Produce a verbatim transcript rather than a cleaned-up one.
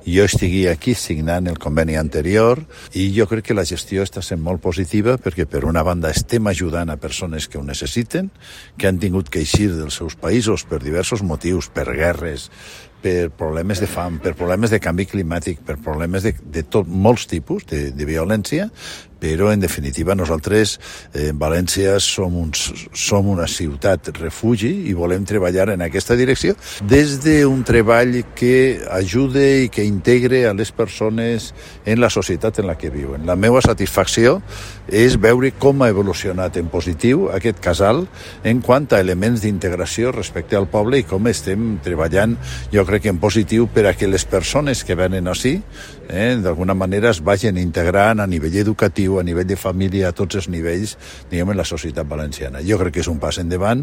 jo estigui aquí signant el conveni anterior, i jo crec que la gestió està sent molt positiva perquè, per una banda, estem ajudant a persones que ho necessiten, que han tingut que eixir dels seus països per diversos motius, per guerres, per problemes de fam, per problemes de canvi climàtic, per problemes de, de tot, molts tipus de, de violència, però, en definitiva, nosaltres eh, en València som, uns, som una ciutat refugi i volem treballar en aquesta direcció des d'un treball que ajude i que integre a les persones en la societat en la que viuen. La meva satisfacció és veure com ha evolucionat en positiu aquest casal en quant a elements d'integració respecte al poble i com estem treballant, jo crec que en positiu, per a que les persones que venen així, eh, d'alguna manera es vagin integrant a nivell educatiu, a nivell de família, a tots els nivells, diguem, en la societat valenciana. Jo crec que és un pas endavant